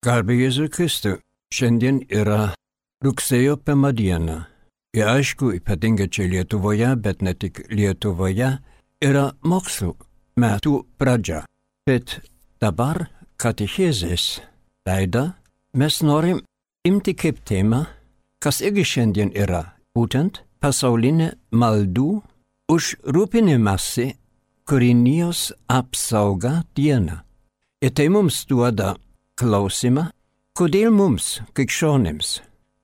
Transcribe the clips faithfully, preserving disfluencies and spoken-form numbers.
Garbė Jėzui Kristui. Šiandien yra rugsėjo pirma diena. Ir aišku, ypatingai čia Lietuvoje, bet ne tik Lietuvoje, yra mokslo metų pradžia. Bet dabar katechezės laidą mes norim imti kaip temą, kas irgi šiandien yra, būtent pasaulinė maldų už rūpinimąsi kūrinijos apsauga diena. Ir tai mums duoda klausimą, kodėl mums, krikščionims,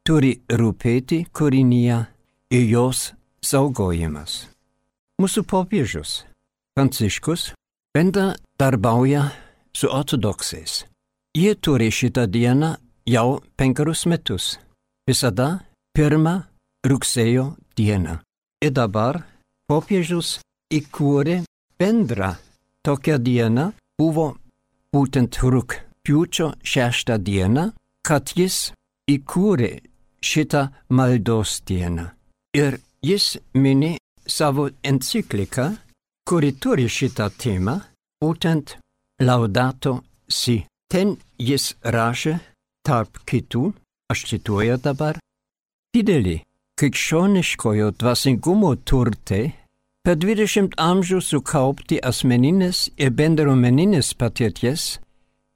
turi rūpėti kūrinija ir jos saugojimas. Mūsų popiežius Pranciškus bendradarbauja su ortodoksais. Jie turi šitą dieną jau penkerius metus. Visada pirmą rugsėjo dieną. Ir dabar popiežius įkūrė bendrą tokią dieną, buvo būtent rugpjūčio šeštą dieną, kad jis įkūrė šitą maldos dieną. Ir jis mini savo encikliką, kuri turi šitą temą, būtent Laudato Si. Ten jis rašė tarp kitų, aš cituoju dabar, didelį krikščioniškojo dvasingumo turtai per dvidešimt amžių sukaupti asmeninės ir bendruomeninės patirties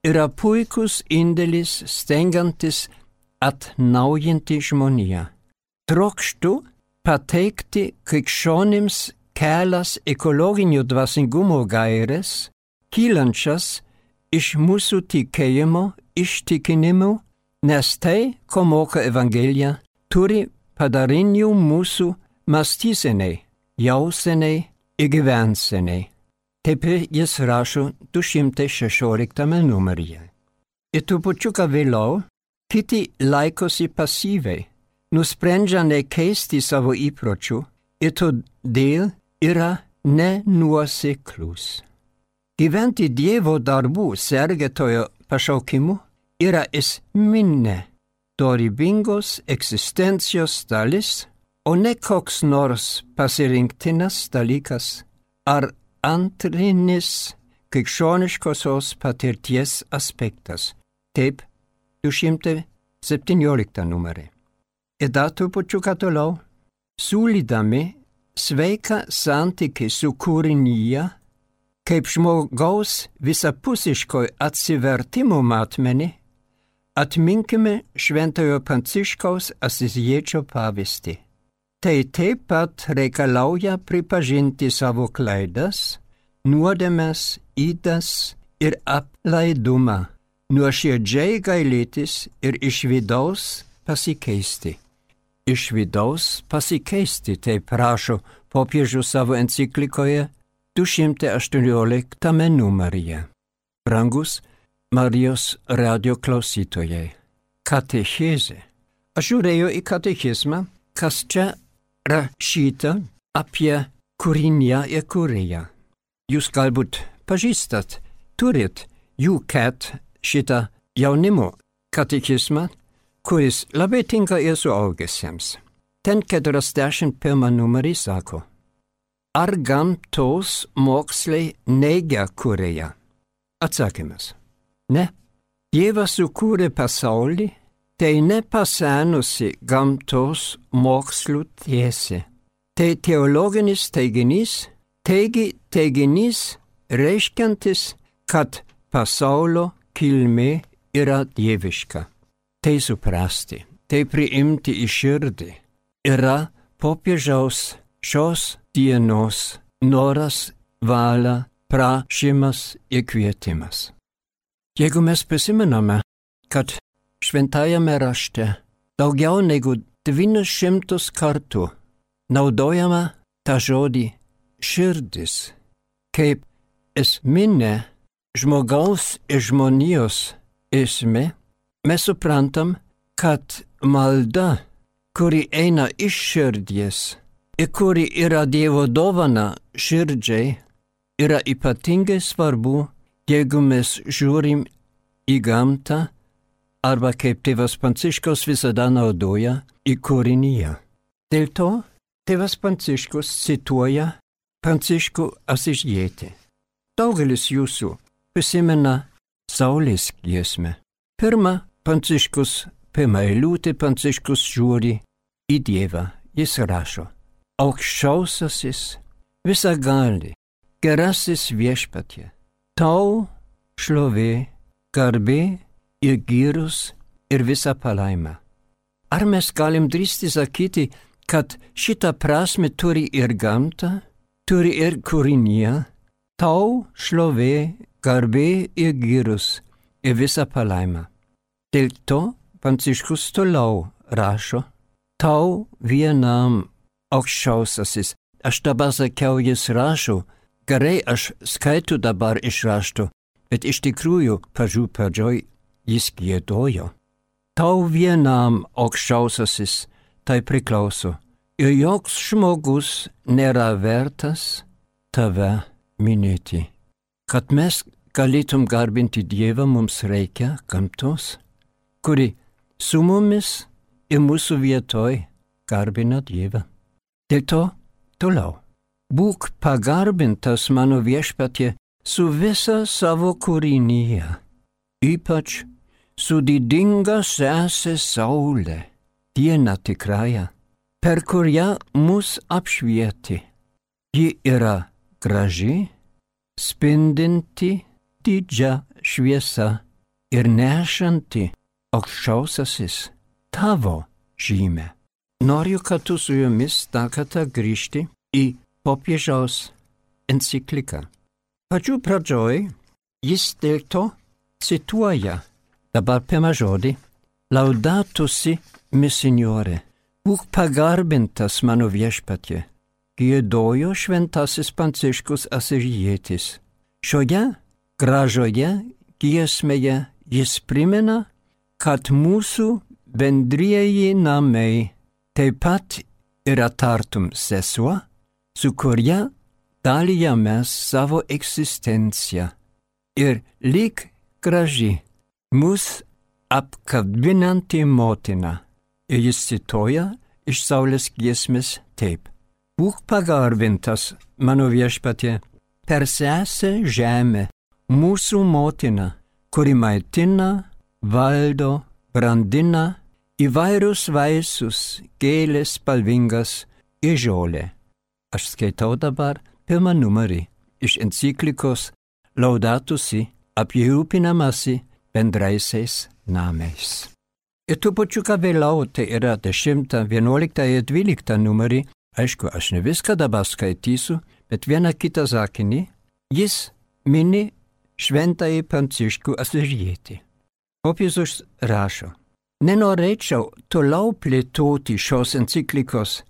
yra puikus indėlis stengiantis atnaujinti žmoniją. Trokštu pateikti krikščionims kelias ekologinio dvasingumo gaires, kylančias iš mūsų tikėjimo įsitikinimų, nes tai, ko moko Evangelija, turi padarinių mūsų mąstysenai, jausenai ir gyvensenai. Taip jis rašo du šimtai šešioliktame numeryje. Ir trupučiuką vėliau kiti laikosi pasyviai, nusprendžia nekeisti savo įpročių ir todėl yra nenuoseklūs. Gyventi Dievo darbų sergėtojo pašaukimu yra esminė dorybingos egzistencijos dalis, o ne koks nors pasirinktinas dalykas ar antrinis krikščioniškosios patirties aspektas. Taip, du šimtai septynioliktą numerį. Ir dar trupučiuką toliau, siūlydami sveiką santykį su kūrinija, kaip žmogaus visapusiško atsivertimo matmenį, atminkime šventojo Pranciškaus Asiziečio pavyzdį. Tai taip pat reikalauja pripažinti savo klaidas, nuodėmes, ydas ir aplaidumą, nuoširdžiai gailėtis ir iš vidaus pasikeisti. Iš vidaus pasikeisti, taip rašo popiežius savo enciklikoje du šimtai aštuonioliktame numeryje. Brangus Marijos radio klausytojai, katechezė. Aš žiūrėjau į katechizmą, kas čia rašyta apie kūriniją ir kūrėją. Jūs galbūt pažįstat, turit U C A T šitą jaunimo katechizmą, kuris labai tinka ir suaugusiems. Ten keturiasdešimt pirmą numerį sako, ar gamtos mokslai neigia kūrėją? Atsakymas. Ne. Dievas sukūrė pasaulį, tai nepasenusi gamtos mokslų tiesė. Tai teologinis teiginys, taigi teiginys reiškiantis, kad pasaulio kilmė yra dieviška. Tai suprasti, tai priimti į širdį yra popiežiaus šios dienos noras, valia, prašymas ir kvietimas. Jeigu mes prisimename, kad šventajame rašte daugiau negu devynis šimtus kartų naudojama tą žodį širdis kaip esminė žmogaus ir žmonijos esmė, mes suprantam, kad malda, kuri eina iš širdies ir kuri yra Dievo dovana širdžiai, yra ypatingai svarbu, jeigu mes žiūrim į gamtą, arba kaip tėvas Pranciškus visada naudoja į kūriniją. Dėl to tėvas Pranciškus cituoja Pranciškų Asižietį. Daugelis jūsų prisimena Saulės giesmę. Pirma, Pranciškus, pirmą eilutę Pranciškus žiūri į Dievą. Jis rašo: Aukščiausiasis, visagali, gerasis viešpatie, tau šlovė, garbė ir gyrus ir visa palaima. Ar mes galim drįsti sakyti, kad šitą prasme turi ir gamta, turi ir kūrinija, tau šlovė, garbė ir gyrus ir visa palaima. Dėl to Pranciškus toliau rašo: tau vienam aukščiausiasis. Aš dabar sakiau, jis rašo, gerai, aš skaitu dabar iš rašto, bet iš tikrųjų pradžių pradžioj jis giedojo. Tau vienam aukščiausiasis tai priklauso, ir joks žmogus nėra vertas tave minėti. Kad mes galėtum garbinti Dievą, mums reikia gamtos, kuri su mumis ir mūsų vietoj garbina Dievą. Dėl to toliau. Būk pagarbintas mano viešpatie su visa savo kūrinyje, ypač su didinga sesė saulė, diena tikrąja, per kurią mus apšvieti. Ji yra graži, spindinti didžia šviesa ir nešanti aukščiausiasis tavo žymę. Noriu kartu su jumis dar kartą grįžti į popiežiaus encikliką. Pačių pradžioj jis dėl to cituoja dabar pirmą žodį: Laudato si mi Signore, būk pagarbintas mano viešpatie, giedojo šventasis Pranciškus Asižietis. Šioje gražoje giesmėje jis primena, kad mūsų bendrieji namai taip pat yra tartum sesuo, su kuria dalijamės savo egzistenciją. Ir lyg graži mus apkabinanti motina. Ir jis cituoja iš Saulės giesmės taip: Būk pagarbintas, mano viešpatie, per sesę žemę, mūsų motina, kuri maitina, valdo, brandina įvairius vaisius, gėlės spalvingas ir žolė. Aš skaitau dabar pirmą numerį iš enciklikos Laudato si apie rūpinamasi bendraisiais namais. Ir trupučiuką vėliau, tai yra dešimtą, vienuoliktą ir dvyliktą numerį, aišku, aš ne viską dabar skaitysiu, bet vieną kitą sakinį, jis mini šventąjį Pranciškų Asižietį. Popiežius rašo: Nenorėčiau toliau plėtoti šios enciklikos,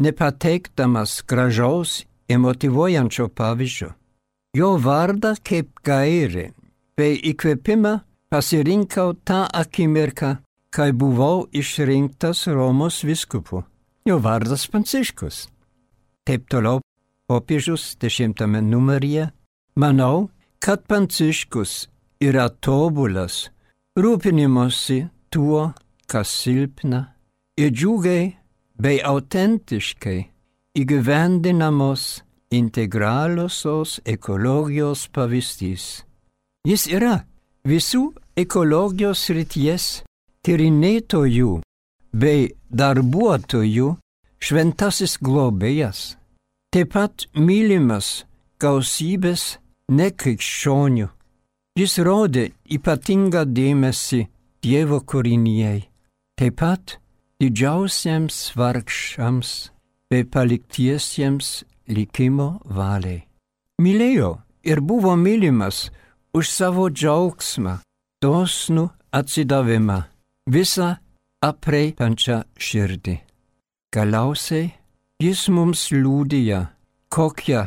nepateikdamas gražaus ir motyvuojančio pavyzdžio. Jo vardą kaip gairį bei įkvėpimą pasirinkau tą akimirką, kai buvau išrinktas Romos vyskupu. Jo vardas Pranciškus. Taip toliau popiežius dešimtame numeryje: Manau, kad Pranciškus yra tobulas rūpinimosi tuo, kas silpna, ir džiugiai bei autentiškai įgyvendinamos integraliosios ekologijos pavyzdys. Jis yra visų ekologijos srities tyrinėtojų bei darbuotojų šventasis globėjas, taip pat mylimas gausybės nekrikščionių. Jis rodė ypatingą dėmesį Dievo kūrinijai, taip pat didžiausiems vargšams bei paliktiesiems likimo valiai. Mylėjo ir buvo mylimas už savo džiaugsmą, dosnų atsidavimą, visą aprėpiančią širdį. Galiausiai jis mums liudija, kokie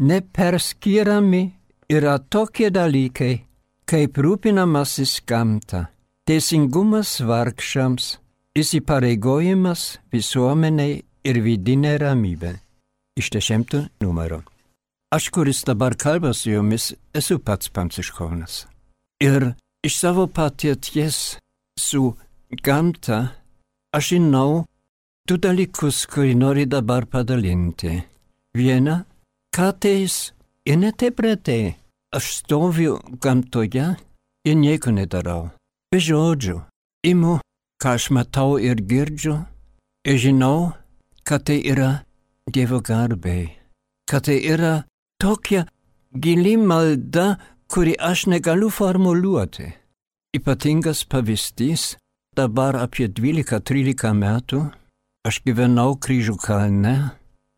neperskiriami yra tokie dalykai, kaip rūpinamasis gamta, teisingumas vargšams, įsipareigojimas visuomeniai ir vidinė ramybė. Iš dešimto numerio. Aš, kuris dabar kalba su jumis, esu pats pranciškonas. Ir iš savo patirties su gamta aš žinau du dalykus, kurį noriu dabar padalinti. Viena, kartais ir ne taip retai aš stoviu gamtoje ir nieko nedarau. be žodžių. Imu, ką aš matau ir girdžiu, ir žinau, kad tai yra Dievo garbei, kad tai yra tokia gili malda, kuri aš negaliu formuluoti. Ypatingas pavyzdys, dabar apie dvylika trylika metų, aš gyvenau Kryžių kalne,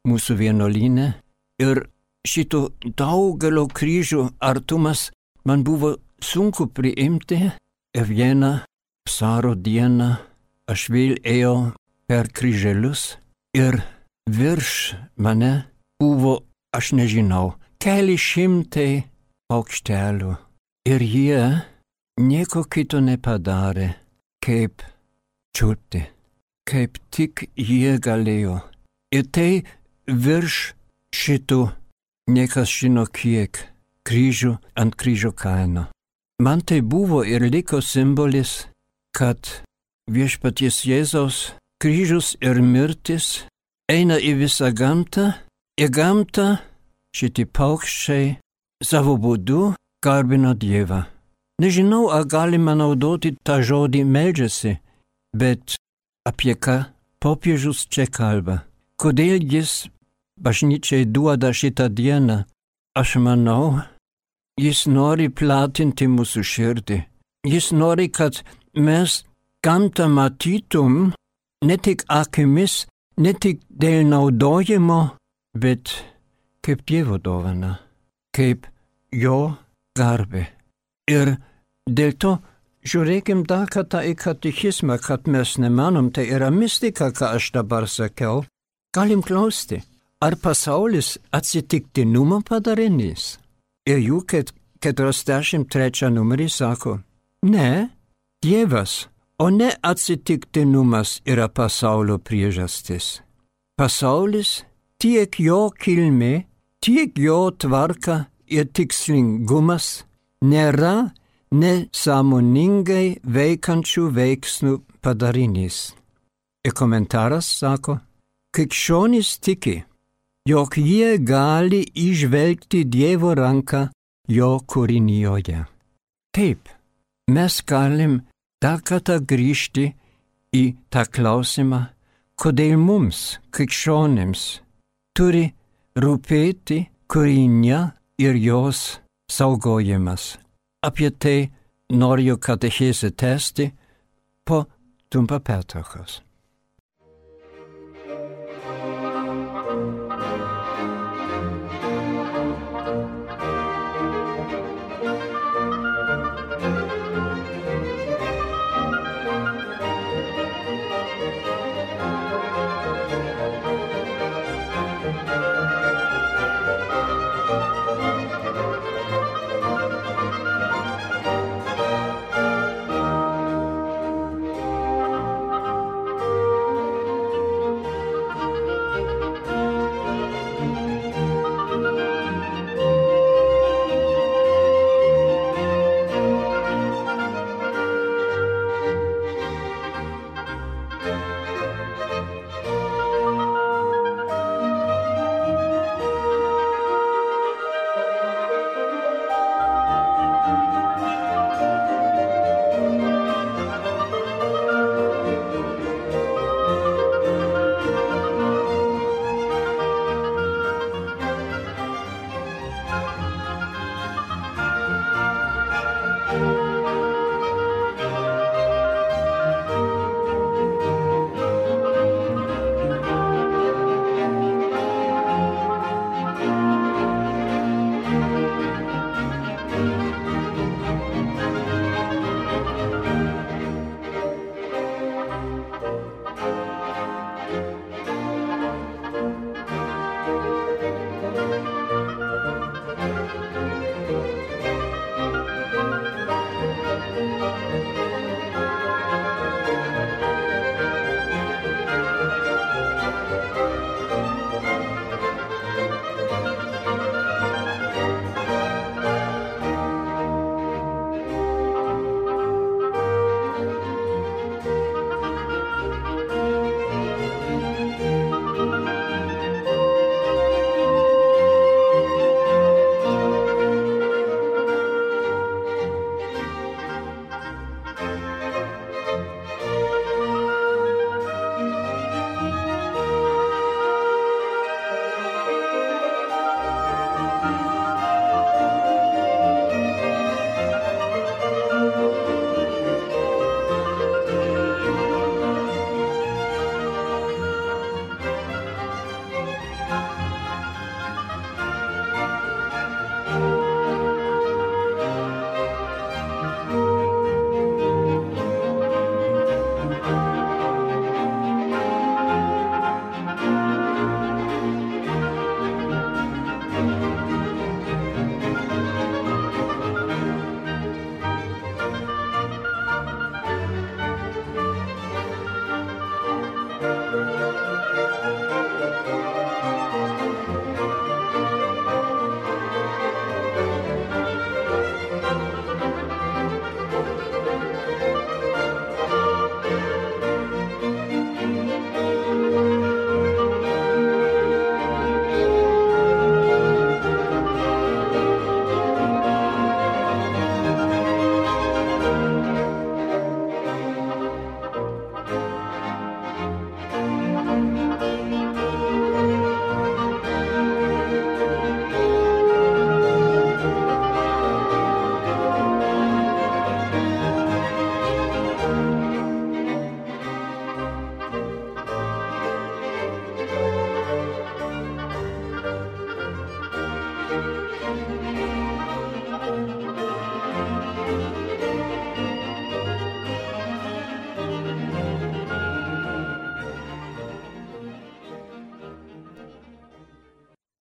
mūsų vienuolyne, ir šito daugelio kryžių artumas man buvo sunku priimti, ir vieną vasario dieną aš vėl ėjau per kryželius ir virš mane buvo, aš nežinau, keli šimtai paukštelių. Ir jie nieko kito nepadarė, kaip čiulpti, kaip tik jie galėjo. Ir tai virš šitų, niekas žino kiek, kryžių ant Kryžių kalno. Man tai buvo ir liko simbolis, kad viešpaties Jėzaus kryžius ir mirtis eina į visą gamtą, į gamtą šitie paukščiai savo būdu garbina Dievą. Nežinau, ar galima naudoti tą žodį meldžiasi, bet apie ką popiežius čia kalba. Kodėl jis bažnyčiai duoda šitą dieną? Aš manau, jis nori platinti mūsų širdį. Jis nori, kad mes gamtą matytum ne tik akimis, ne tik dėl naudojimo, bet kaip Dievo dovana, kaip jo garbė. Ir dėl to žiūrėkim dar kartą į katechizmą, kad mes nemanom, tai yra mistika, ką aš dabar sakiau. Galim klausti, ar pasaulis atsitiktinumo padarinys? Ir jų keturiasdešimt trečiam numerį sako, ne, Dievas, o ne atsitiktinumas yra pasaulio priežastis. Pasaulis, tiek jo kilmė, tiek jo tvarka ir tikslingumas nėra nesąmoningai veikančių veiksmų padarinys. Ir komentaras sako, krikščionys tiki, jog jie gali įžvelgti Dievo ranką jo kūrinijoje. Taip, mes galim dar kartą grįžti į tą klausimą, kodėl mums, krikščionims, turi rūpėti kūrinė ir jos saugojimas. Apie tai noriu katechezę tęsti po trumpą pertraukos.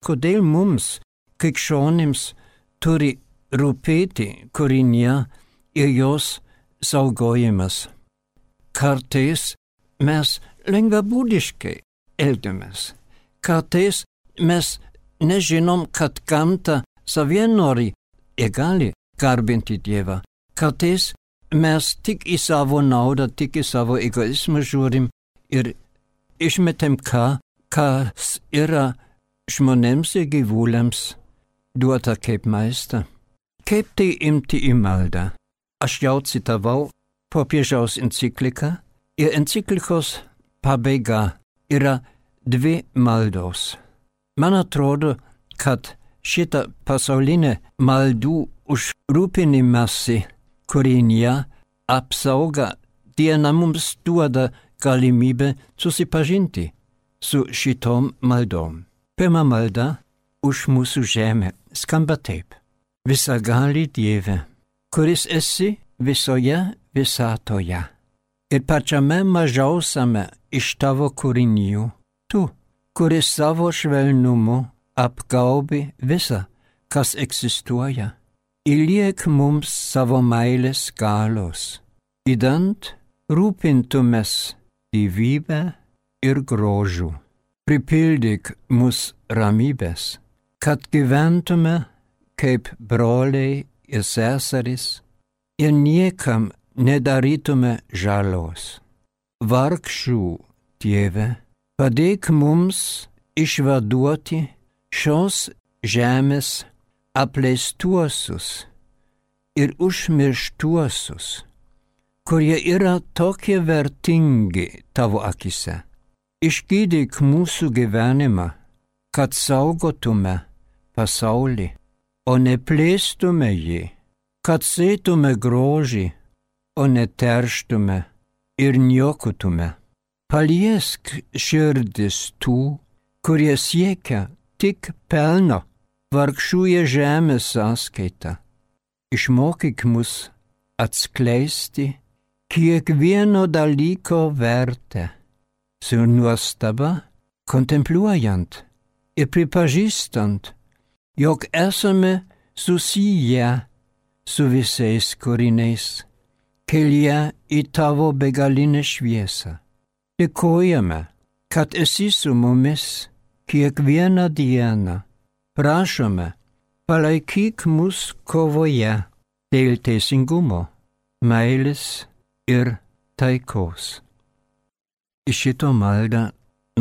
kodėl mums, krikščionims, turi rūpėti Korinija ir jos saugojimas. Kartais mes lengvabūdiškai elgiamės. Kartais mes nežinom, kad gamta savie nori ir gali garbinti Dievą. Kartais mes tik į savo naudą, tik į savo egoizmą žiūrim ir išmetam ką, kas yra žmonėms ir gyvuliams duota kaip maista. Kaip tai imti į maldą? Aš jau citavau popiežiaus encikliką ir enciklikos pabaiga yra dvi maldos. Man atrodo, kad šita pasaulinė maldų užrūpinimasi Korinija apsauga diena mums duoda galimybę susipažinti su šitom maldom. Pirma malda už mūsų žemę skamba taip. Visagali Dieve, kuris esi visoje visatoje ir pačiame mažiausiame iš tavo kūrinių, tu, kuris savo švelnumu apgaubi visą, kas egzistuoja, įliek mums savo meilės galos, idant rūpintumės gyvybę ir grožių. Pripildyk mus ramybės, kad gyventume kaip broliai ir seserys ir niekam nedarytume žalos. Vargšų Dieve, padėk mums išvaduoti šios žemės apleistuosius ir užmirštuosius, kurie yra tokie vertingi tavo akise. Išgydyk mūsų gyvenimą, kad saugotume pasaulį, o neplėstume jį, kad sėtume grožį, o neterštume ir niokotume. Paliesk širdis tų, kurie siekia tik pelno, vargšųje žemės sąskaita. Išmokyk mus atskleisti kiekvieno dalyko vertę, su nuostaba kontempliuojant ir pripažįstant, jog esame susiję su visais kūriniais, kelyje į tavo begalinę šviesą. Dėkojame, kad esi su mumis kiekvieną dieną. Prašome, palaikyk mus kovoje dėl teisingumo, meilės ir taikos. Iš šito maldą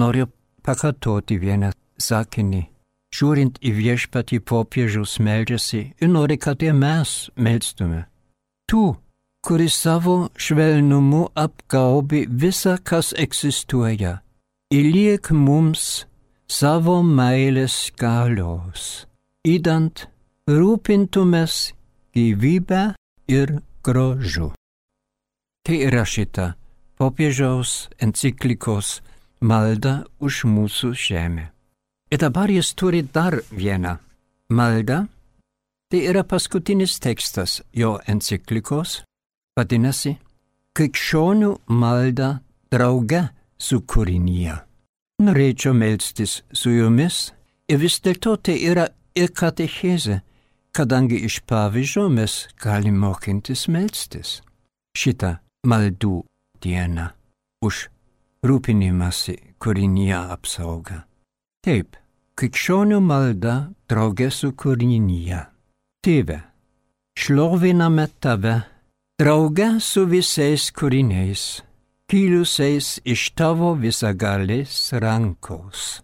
noriu pakartoti vieną sakinį. Žiūrint į viešpatį popiežius meldžiasi ir nori, kad ir mes melstume. Tu, kuris savo švelnumu apgaubi visą, kas egzistuoja, įliek mums savo meilės galios, idant rūpintumės gyvybę ir grožiu. Tai yra šita popiežiaus enciklikos malda už mūsų žemę. Ir dabar jis turi dar vieną maldą. Tai yra paskutinis tekstas jo enciklikos, vadinasi, krikščionių malda drauge su kūrinija. Norėčiau melstis su jumis ir vis dėlto tai yra ir katechezė, kadangi iš pavyzdžio mes galim mokintis melstis. Šitą maldų dieną už rūpinimąsi kūrinija apsauga. Taip, krikščionių malda drauge su kūrinija. Tėve, šloviname tave drauge su visais kūriniais, kilusiais iš tavo visagalės rankos.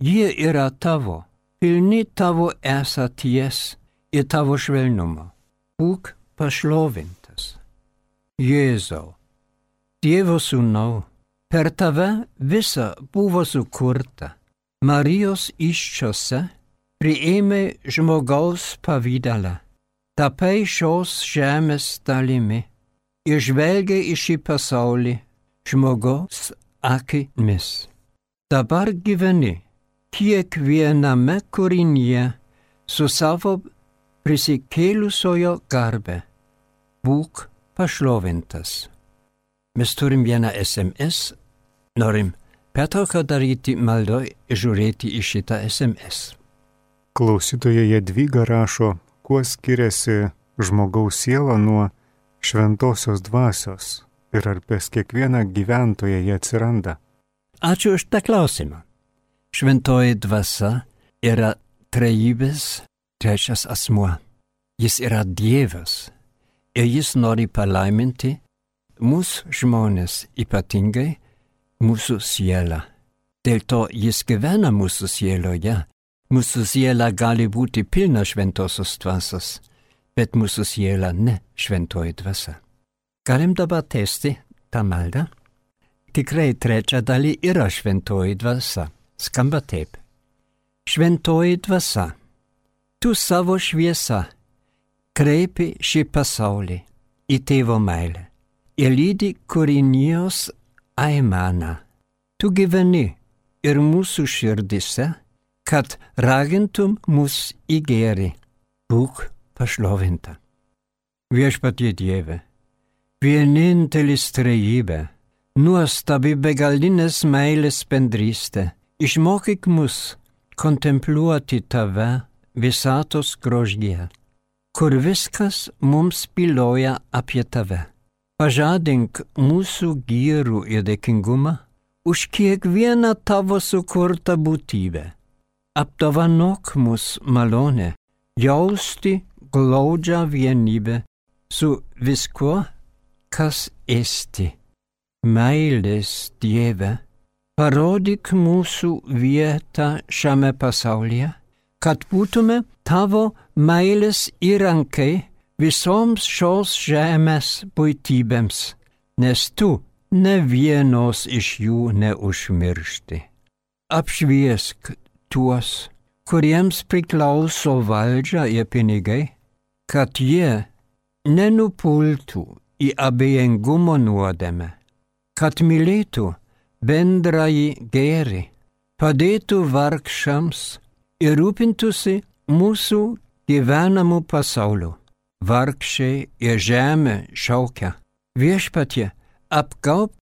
Jie yra tavo, pilni tavo esaties ir tavo švelnumo. Būk pašlovintas. Jėzau, Dievo sūnau, per tave visa buvo sukurta. Marijos įsčiose priėmė žmogaus pavydalą, tapai šios žemės dalimi ir žvelgia į šį pasaulį žmogaus akimis. Dabar gyveni kiekviename kūrinyje su savo prisikėlusiojo garbe. Būk pašlovintas. Mes turim vieną S M S, norim pertrauką daryti maldoj ir žiūrėti į šitą S M S. Klausytoja Jadvyga rašo, kuo skiriasi žmogaus siela nuo šventosios dvasios ir ar pas kiekvieną gyventoją jie atsiranda. Ačiū už tą klausimą. Šventoji dvasia yra trejybės trečias asmuo. Jis yra Dievas ir jis nori palaiminti mūsų žmonės, ypatingai mūsų sielą. Dėl to jis gyvena mūsų sieloje. Mūsų siela gali būti pilna šventosios dvasios, bet mūsų siela ne šventoji dvasia. Galim dabar tęsti tą maldą? Tikrai trečia daly yra šventoji dvasia. Skamba taip. Šventoji dvasia, tu savo šviesa kreipi šį pasaulį į tėvo meilę ir lydi kūrinijos aimaną. Tu gyveni ir mūsų širdise, kad ragintum mus į gėrį. Būk pašlovinta. Viešpatie Dieve, vienintelis trejybė, nuostabi begalinės meilės bendrystė, išmokyk mus kontempliuoti tave visatos grožyje, kur viskas mums byloja apie tave. Pažadink mūsų gyrų ir dėkingumą už kiekvieną tavo sukurtą būtybę. Apdovanok mus malonę, jausti glaudžią vienybę su viskuo, kas esti. Meilės Dieve, parodyk mūsų vietą šiame pasaulyje, kad būtume tavo meilės įrankiai visoms šios žemės būtybėms, nes tu ne vienos iš jų neužmiršti. Apšviesk tuos, kuriems priklauso valdžia ir pinigai, kad jie nenupultų į abejingumo nuodėmę, kad mylėtų bendrąjį gėrį, padėtų vargšams ir rūpintųsi mūsų gyvenamų pasauliu. Vargšiai ir žemė šaukia. Viešpatie, apgaub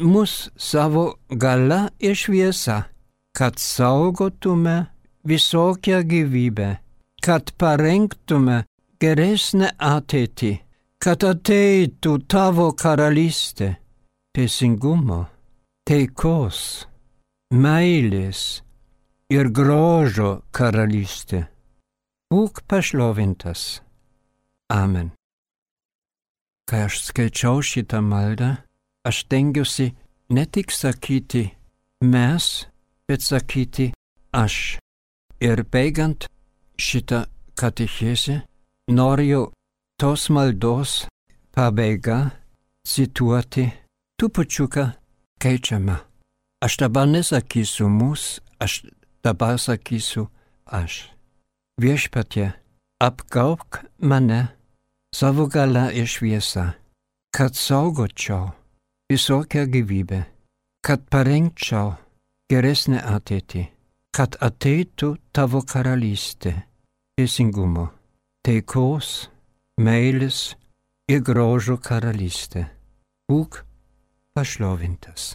mus savo galia ir šviesa, kad saugotume visokią gyvybę, kad parengtume geresnę ateitį, kad ateitų tavo karalystė, teisingumo, taikos, meilės ir grožio karalystė. Būk pašlovintas. Amen. Kai aš skaičiau šitą maldą, aš stengiuosi ne tik sakyti mes, bet sakyti aš. Ir baigiant šitą katechezę, noriu tos maldos pabaigą cituoti trupučiuką keičiamą. Aš dabar nesakysiu mus, aš dabar sakysiu aš. Viešpatie, apgaubk mane savo galia ir šviesa, kad saugočiau visokią gyvybę, kad parengčiau geresnę ateitį, kad ateitų tavo karalystė, teisingumo, taikos, meilės ir grožio karalystė. Būk pašlovintas.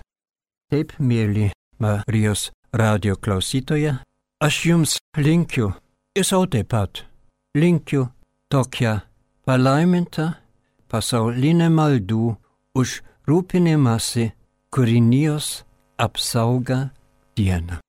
Taip, mėly Marijos radio klausytoja, aš jums linkiu ir sau taip pat linkiu tokią palaimintą pasaulinę maldų už rūpinimąsi kūrinijos apsaugą dieną.